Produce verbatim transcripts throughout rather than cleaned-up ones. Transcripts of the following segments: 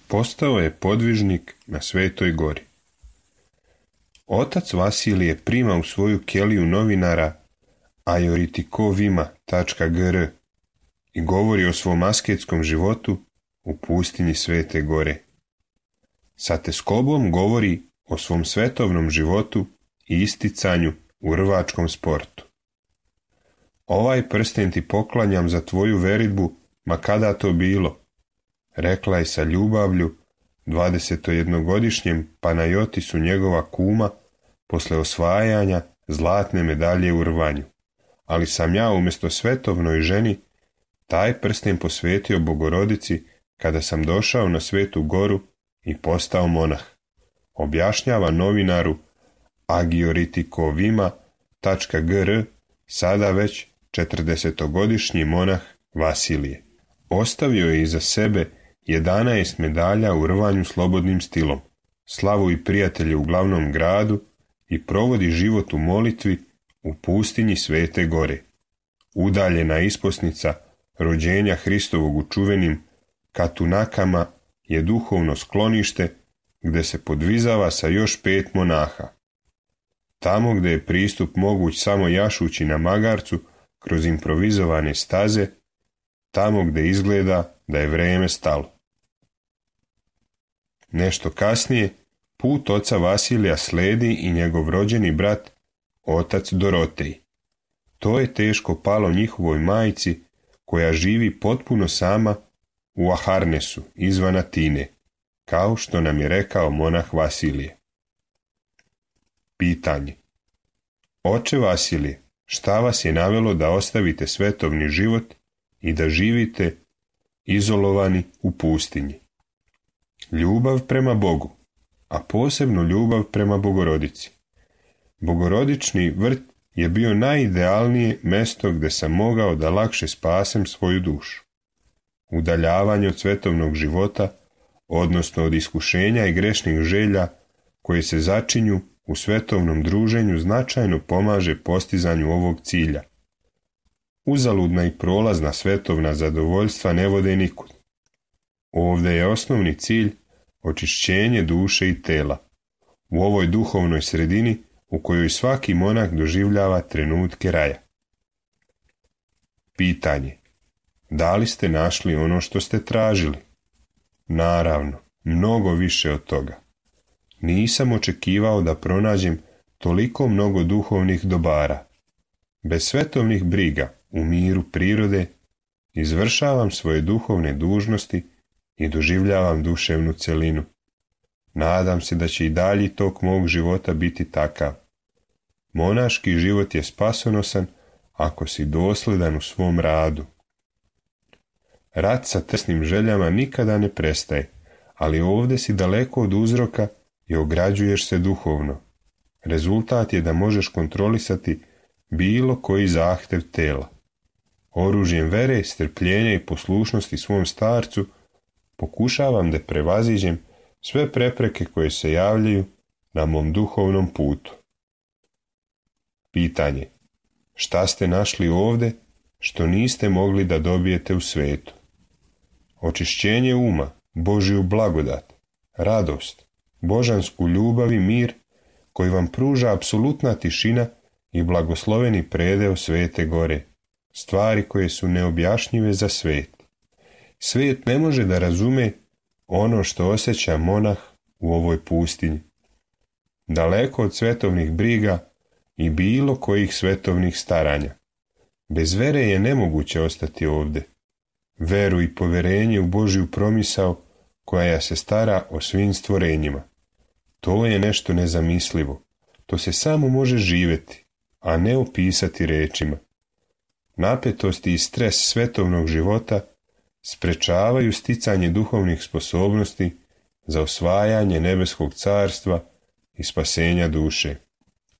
postao je podvižnik na Svetoj gori. Otac Vasilije prima u svoju keliju novinara ajoritikovima tačka gr i govori o svom asketskom životu u pustinji Svete gore. Sa teskobom govori o svom svetovnom životu i isticanju u rvačkom sportu. Ovaj prsten ti poklanjam za tvoju veridbu, ma kada to bilo, rekla je sa ljubavlju dvadesetjednogodišnjem Panajotisu njegova kuma posle osvajanja zlatne medalje u rvanju. Ali sam ja umjesto svetovnoj ženi taj prsten posvetio Bogorodici kada sam došao na Svetu goru i postao monah, objašnjava novinaru ajoritikovima tačka gr sada već četrdesetogodišnji monah Vasilije. Ostavio je iza sebe jedanaest medalja u rvanju slobodnim stilom, slavu i prijatelje u glavnom gradu i provodi život u molitvi u pustinji Svete gore. Udaljena isposnica rođenja Hristovog u čuvenim Katunakama je duhovno sklonište gde se podvizava sa još pet monaha. Tamo gde je pristup moguć samo jašući na magarcu kroz improvizovane staze, tamo gde izgleda da je vreme stalo. Nešto kasnije put oca Vasilija sledi i njegov rođeni brat, otac Dorotej. To je teško palo njihovoj majci, koja živi potpuno sama u Aharnesu, izvan Atine, kao što nam je rekao monah Vasilije. Pitanje. Oče Vasilije, šta vas je navelo da ostavite svetovni život i da živite izolovani u pustinji? Ljubav prema Bogu, a posebno ljubav prema Bogorodici. Bogorodični vrt je bio najidealnije mesto gde sam mogao da lakše spasem svoju dušu. Udaljavanje od svetovnog života, odnosno od iskušenja i grešnih želja koje se začinju u svetovnom druženju, značajno pomaže postizanju ovog cilja. Uzaludna i prolazna svetovna zadovoljstva ne vode nikud. Ovdje je osnovni cilj očišćenje duše i tela, u ovoj duhovnoj sredini u kojoj svaki monah doživljava trenutke raja. Pitanje. Da li ste našli ono što ste tražili? Naravno, mnogo više od toga. Nisam očekivao da pronađem toliko mnogo duhovnih dobara. Bez svetovnih briga, u miru prirode, izvršavam svoje duhovne dužnosti i doživljavam duševnu celinu. Nadam se da će i dalji tok mog života biti takav. Monaški život je spasonosan ako si dosledan u svom radu. Rat sa tesnim željama nikada ne prestaje, ali ovdje si daleko od uzroka i ograđuješ se duhovno. Rezultat je da možeš kontrolisati bilo koji zahtev tela. Oružjem vere, strpljenja i poslušnosti svom starcu pokušavam da prevaziđem sve prepreke koje se javljaju na mom duhovnom putu. Pitanje. Šta ste našli ovdje što niste mogli da dobijete u svetu? Očišćenje uma, Božju blagodat, radost, božansku ljubav i mir koji vam pruža apsolutna tišina i blagosloveni predeo Svete gore, stvari koje su neobjašnjive za svet. Svet ne može da razume ono što osjeća monah u ovoj pustinji. Daleko od svetovnih briga i bilo kojih svetovnih staranja. Bez vere je nemoguće ostati ovdje. Veru i poverenje u Božju promisao koja se stara o svim stvorenjima. To je nešto nezamislivo. To se samo može živjeti, a ne opisati rečima. Napetosti i stres svetovnog života sprečavaju sticanje duhovnih sposobnosti za osvajanje nebeskog carstva i spasenja duše.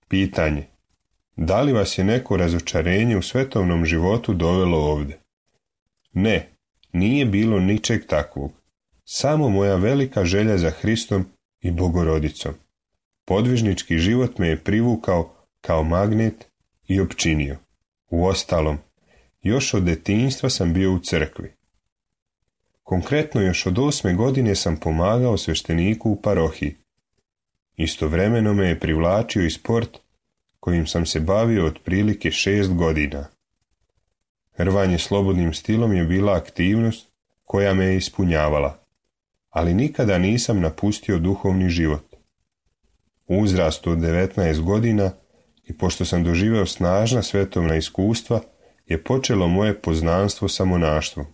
Pitanje. Da li vas je neko razočarenje u svetovnom životu dovelo ovdje? Ne, nije bilo ničeg takvog. Samo moja velika želja za Hristom i Bogorodicom. Podvižnički život me je privukao kao magnet i opčinio. Uostalom, još od detinjstva sam bio u crkvi. Konkretno još od osme godine sam pomagao svešteniku u parohiji. Istovremeno me je privlačio i sport kojim sam se bavio otprilike šest godina. Rvanje slobodnim stilom je bila aktivnost koja me je ispunjavala, ali nikada nisam napustio duhovni život. U uzrastu od devetnaest godina i pošto sam doživeo snažna svetovna iskustva, je počelo moje poznanstvo sa monaštvom.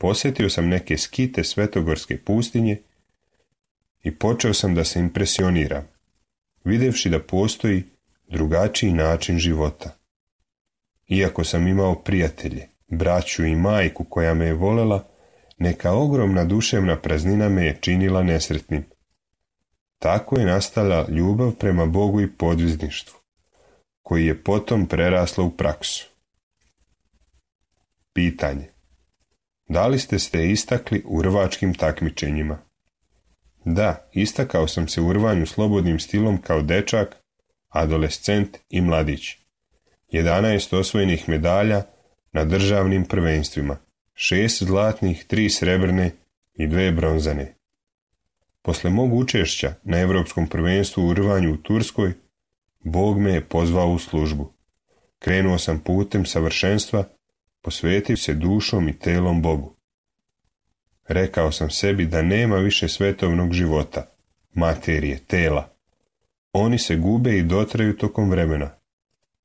Posjetio sam neke skite Svetogorske pustinje i počeo sam da se impresioniram, vidjevši da postoji drugačiji način života. Iako sam imao prijatelje, braću i majku koja me je volela, neka ogromna duševna praznina me je činila nesretnim. Tako je nastala ljubav prema Bogu i podvizništvu, koji je potom prerasla u praksu. Pitanje. Da li ste se istakli u rvačkim takmičenjima? Da, istakao sam se u rvanju slobodnim stilom kao dečak, adolescent i mladić. jedanaest osvojenih medalja na državnim prvenstvima, šest zlatnih, tri srebrne i dve bronzane. Posle mog učešća na Europskom prvenstvu u rvanju u Turskoj, Bog me je pozvao u službu. Krenuo sam putem savršenstva, posvetio se dušom i telom Bogu. Rekao sam sebi da nema više svetovnog života, materije, tela. Oni se gube i dotraju tokom vremena,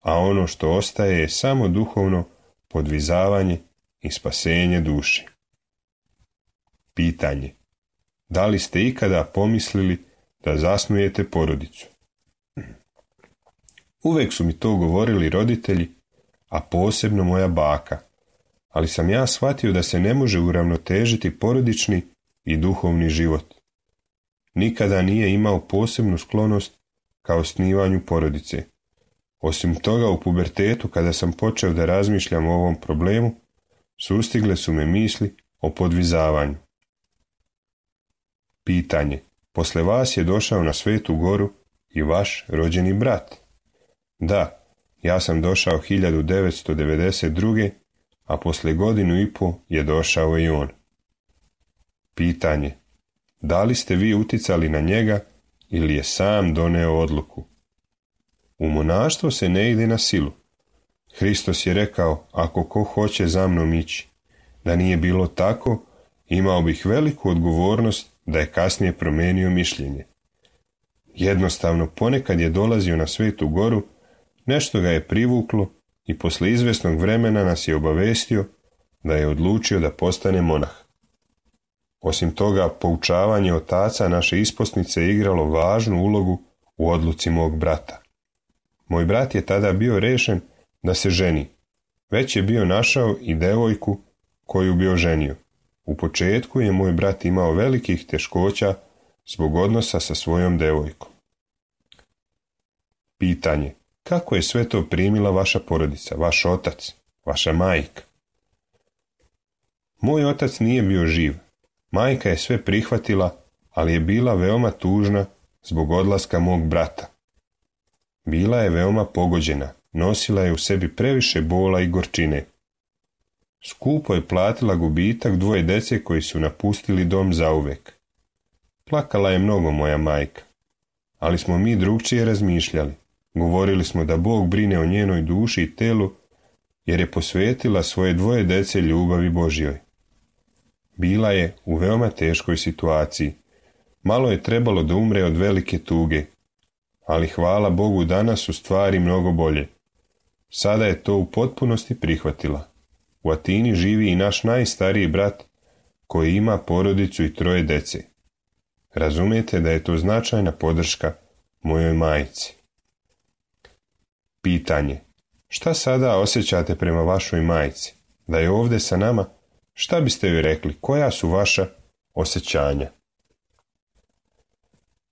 a ono što ostaje je samo duhovno podvizavanje i spasenje duše. Pitanje. Da li ste ikada pomislili da zasnujete porodicu? Uvek su mi to govorili roditelji, a posebno moja baka, ali sam ja shvatio da se ne može uravnotežiti porodični i duhovni život. Nikada nije imao posebnu sklonost ka osnivanju porodice. Osim toga, u pubertetu, kada sam počeo da razmišljam o ovom problemu, sustigle su me misli o podvizavanju. Pitanje. Posle vas je došao na Svetu Goru i vaš rođeni brat? Da, ja sam došao hiljadu devetsto devedeset druge. a posle godinu i po je došao i on. Pitanje. Da li ste vi uticali na njega ili je sam doneo odluku? U monaštvo se ne ide na silu. Hristos je rekao, ako ko hoće za mnom ići. Da nije bilo tako, imao bih veliku odgovornost da je kasnije promenio mišljenje. Jednostavno, ponekad je dolazio na Svetu Goru, nešto ga je privuklo i posle izvesnog vremena nas je obavestio da je odlučio da postane monah. Osim toga, poučavanje otaca naše isposnice je igralo važnu ulogu u odluci mog brata. Moj brat je tada bio rešen da se ženi. Već je bio našao i devojku koju bi oženio. U početku je moj brat imao velikih teškoća zbog odnosa sa svojom devojkom. Pitanje. Kako je sve to primila vaša porodica, vaš otac, vaša majka? Moj otac nije bio živ. Majka je sve prihvatila, ali je bila veoma tužna zbog odlaska mog brata. Bila je veoma pogođena, nosila je u sebi previše bola i gorčine. Skupo je platila gubitak dvoje dece koji su napustili dom zauvek. Plakala je mnogo moja majka, ali smo mi drugčije razmišljali. Govorili smo da Bog brine o njenoj duši i telu, jer je posvetila svoje dvoje dece ljubavi Božjoj. Bila je u veoma teškoj situaciji. Malo je trebalo da umre od velike tuge, ali hvala Bogu danas su stvari mnogo bolje. Sada je to u potpunosti prihvatila. U Atini živi i naš najstariji brat koji ima porodicu i troje dece. Razumijete da je to značajna podrška mojoj majci. Pitanje. Šta sada osjećate prema vašoj majci? Da je ovdje sa nama, šta biste joj rekli? Koja su vaša osjećanja?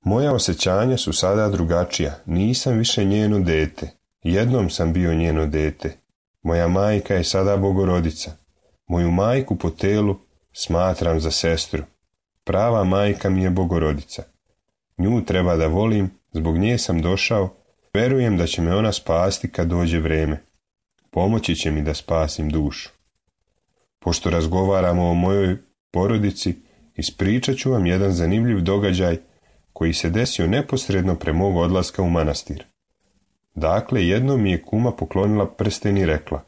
Moja osjećanja su sada drugačija. Nisam više njeno dete. Jednom sam bio njeno dete. Moja majka je sada Bogorodica. Moju majku po telu smatram za sestru. Prava majka mi je Bogorodica. Nju treba da volim, zbog nje sam došao. Verujem da će me ona spasti kad dođe vreme. Pomoći će mi da spasim dušu. Pošto razgovaramo o mojoj porodici, ispričat ću vam jedan zanimljiv događaj koji se desio neposredno pre mog odlaska u manastir. Dakle, jednom mi je kuma poklonila prsten i rekla: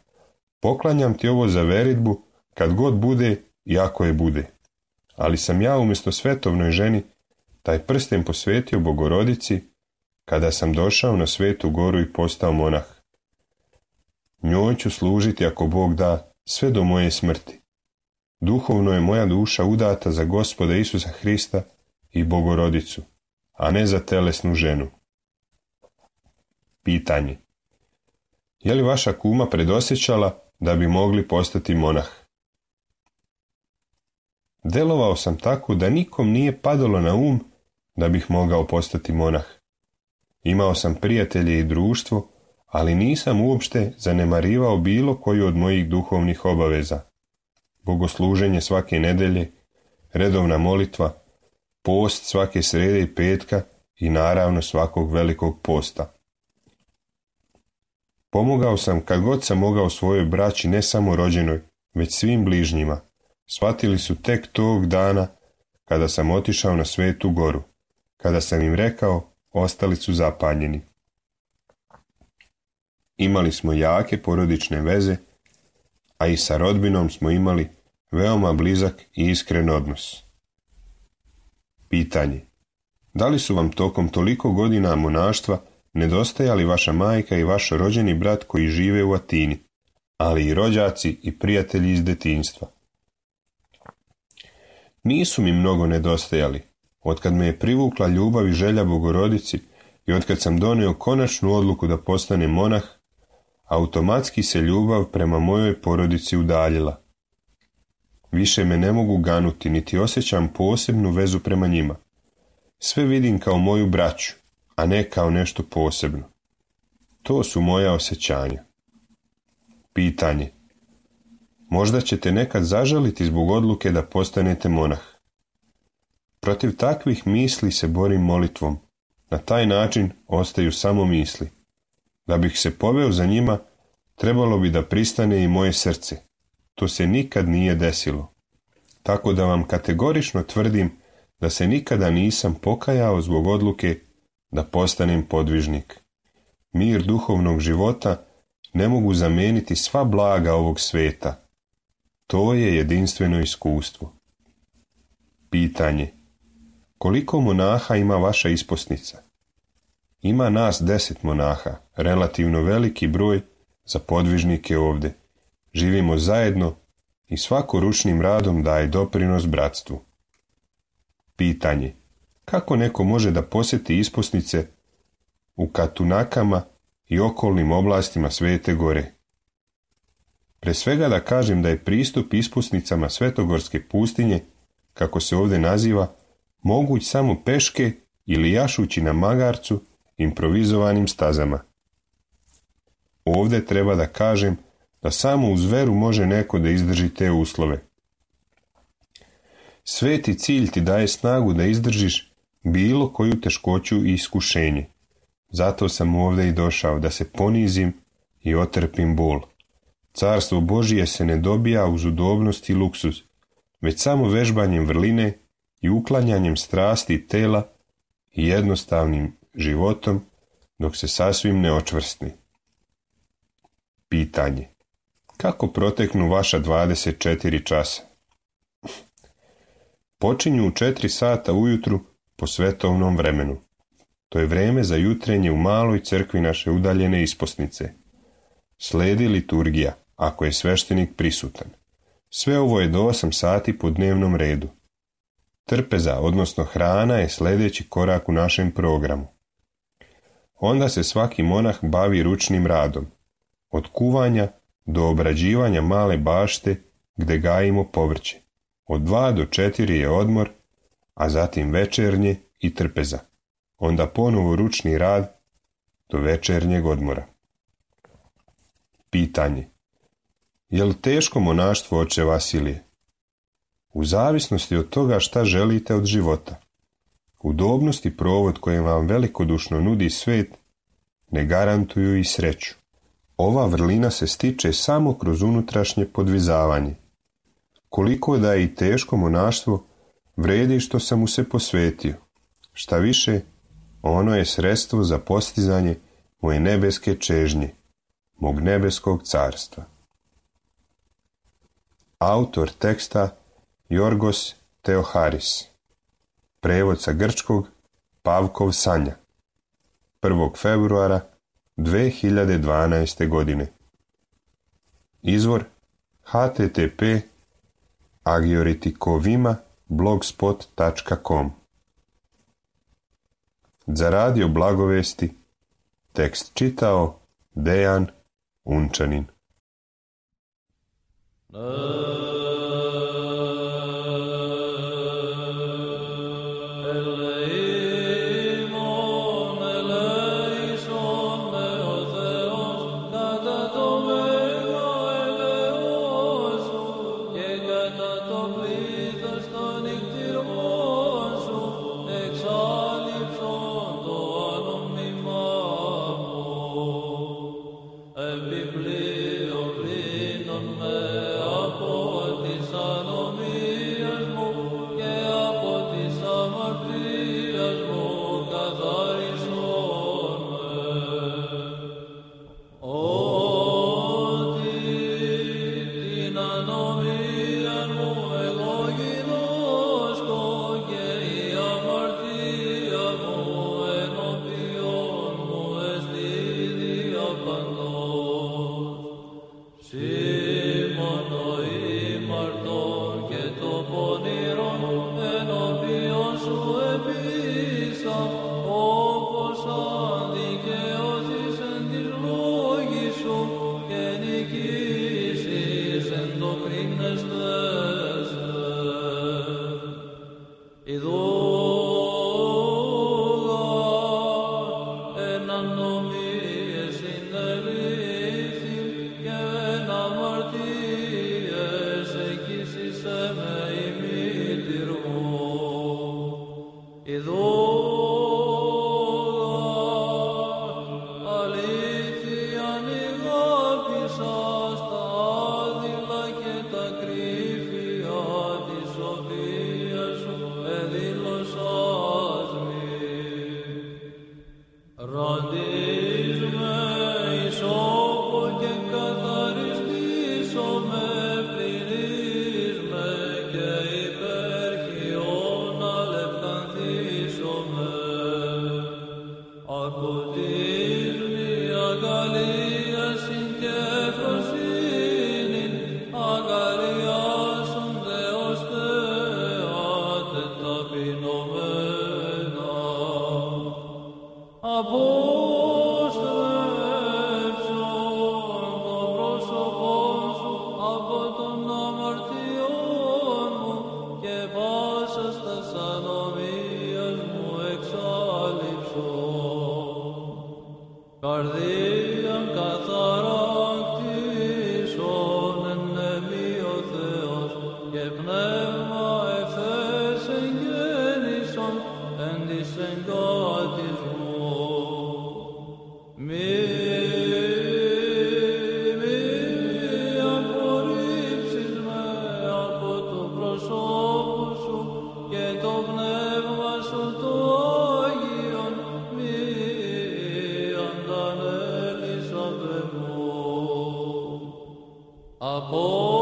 poklanjam ti ovo za veridbu kad god bude i ako je bude. Ali sam ja umjesto svetovnoj ženi taj prsten posvetio Bogorodici kada sam došao na Svetu Goru i postao monah. Njoj ću služiti ako Bog da sve do moje smrti. Duhovno je moja duša udata za Gospoda Isusa Hrista i Bogorodicu, a ne za telesnu ženu. Pitanje: je li vaša kuma predosjećala da bi mogli postati monah? Delovao sam tako da nikom nije padalo na um da bih mogao postati monah. Imao sam prijatelje i društvo, ali nisam uopšte zanemarivao bilo koju od mojih duhovnih obaveza. Bogosluženje svake nedelje, redovna molitva, post svake srede i petka i naravno svakog velikog posta. Pomogao sam kad god sam mogao svojoj braći, ne samo rođenoj, već svim bližnjima. Shvatili su tek tog dana kada sam otišao na Svetu Goru. Kada sam im rekao, ostali su zapanjeni. Imali smo jake porodične veze, a i sa rodbinom smo imali veoma blizak i iskren odnos. Pitanje: da li su vam tokom toliko godina monaštva nedostajali vaša majka i vaš rođeni brat koji žive u Atini, ali i rođaci i prijatelji iz detinjstva? Nisu mi mnogo nedostajali. Otkad me je privukla ljubav i želja Bogorodici i otkad sam donio konačnu odluku da postanem monah, automatski se ljubav prema mojoj porodici udaljila. Više me ne mogu ganuti, niti osjećam posebnu vezu prema njima. Sve vidim kao moju braću, a ne kao nešto posebno. To su moja osjećanja. Pitanje: možda ćete nekad zažaliti zbog odluke da postanete monah. Protiv takvih misli se borim molitvom. Na taj način ostaju samo misli. Da bih se poveo za njima, trebalo bi da pristane i moje srce. To se nikad nije desilo. Tako da vam kategorično tvrdim da se nikada nisam pokajao zbog odluke da postanem podvižnik. Mir duhovnog života ne mogu zameniti sva blaga ovog sveta. To je jedinstveno iskustvo. Pitanje: koliko monaha ima vaša isposnica? Ima nas deset monaha, relativno veliki broj za podvižnike ovdje. Živimo zajedno i svako ručnim radom daje doprinos bratstvu. Pitanje: kako neko može da posjeti isposnice u Katunakama i okolnim oblastima Svete Gore? Pre svega da kažem da je pristup isposnicama Svetogorske pustinje, kako se ovdje naziva, moguć samo peške ili jašući na magarcu improvizovanim stazama. Ovdje treba da kažem da samo uz veru može neko da izdrži te uslove. Sveti cilj ti daje snagu da izdržiš bilo koju teškoću i iskušenje. Zato sam ovdje i došao, da se ponizim i otrpim bol. Carstvo Božije se ne dobija uz udobnost i luksuz, već samo vežbanjem vrline i uklanjanjem strasti tela i jednostavnim životom dok se sasvim ne očvrstni. Pitanje: kako proteknu vaša dvadeset četiri časa? Počinju u četiri sata ujutru po svetovnom vremenu. To je vreme za jutrenje u maloj crkvi naše udaljene isposnice. Sledi liturgija, ako je sveštenik prisutan. Sve ovo je do osam sati po dnevnom redu. Trpeza, odnosno hrana, je sljedeći korak u našem programu. Onda se svaki monah bavi ručnim radom, od kuvanja do obrađivanja male bašte gde gajimo povrće. Od dva do četiri je odmor, a zatim večernje i trpeza. Onda ponovo ručni rad do večernjeg odmora. Pitanje: je li teško monaštvo, oče Vasilije? U zavisnosti od toga šta želite od života. Udobnost i provod koje vam velikodušno nudi svet ne garantuju i sreću. Ova vrlina se stiče samo kroz unutrašnje podvizavanje. Koliko da je i teško monaštvo, vredi što sam mu se posvetio. Šta više, ono je sredstvo za postizanje moje nebeske čežnje, mog nebeskog carstva. Autor teksta Jorgos Teoharis. Prevod sa grčkog Pavkov Sanja. prvog februara dve hiljade dvanaeste. godine. Izvor h t t p agioritikovima blogspot tačka com. Za radio blagovesti tekst čitao Dejan Unčanin. Από